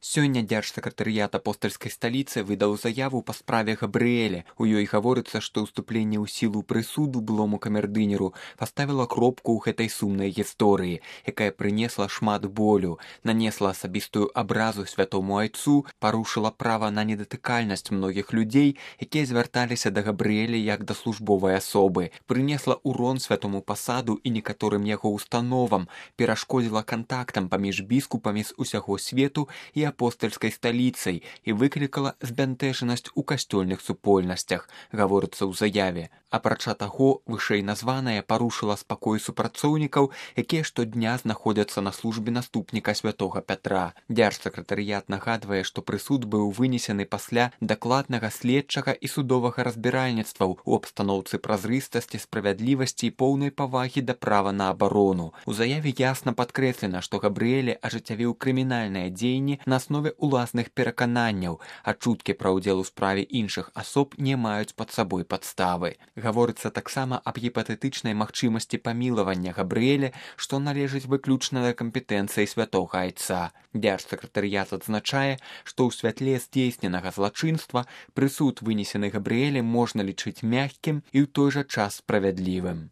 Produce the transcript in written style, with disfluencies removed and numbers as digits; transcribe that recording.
Сёння дзяржсакратарыят апостальскай сталіцы выдаў заяву па справе Габрыэля. У ёй гаворыцца, што ўступленне ў сілу прысуду былому камердынеру паставіла кропку ў гэтай сумнай гісторыі, якая прынесла шмат болю, нанесла асабістую абразу святому айцу, парушыла права на недатыкальнасць многіх людзей, якія звярталіся да Габрыэля як да службовай асобы, прынесла урон святому пасаду і некаторым яго установам, перашкодзіла кантактам паміж біскупамі з усяго свету і апостальскай сталіцай і выклікала збянтэжанасць у касцёльных супольнасцях, гаворыцца ў заяве. Апрача таго, вышэйназванае парушыла спакой супрацоўнікаў, якія штодня знаходзяцца на службе наступніка святога Пятра. Дзяржсакратарыят нагадвае, што прысуд быў вынесены пасля дакладнага следчага і судовага разбіральніцтваў у абстаноўцы празрыстасці, справядлівасці і поўнай павагі да права на абарону. У заяве ясна падкрэслена, што Габрыэль ажыццявіў крымінальныя дзеянні на аснове уласных перакананняў, а чуткі пра ўдзел у справе іншых асоб не маюць пад сабой падставы. Гаворыцца таксама аб гіпатэтычнай магчымасці памілавання Габрыэля, што належыць выключна да кампетэнцыі святога айца. Дзяржсакратарыят адзначае, што ў святле здзейсненага злачынства прысуд, вынесены Габрыэлем, можна лічыць мяккім і ў той жа час справядлівым.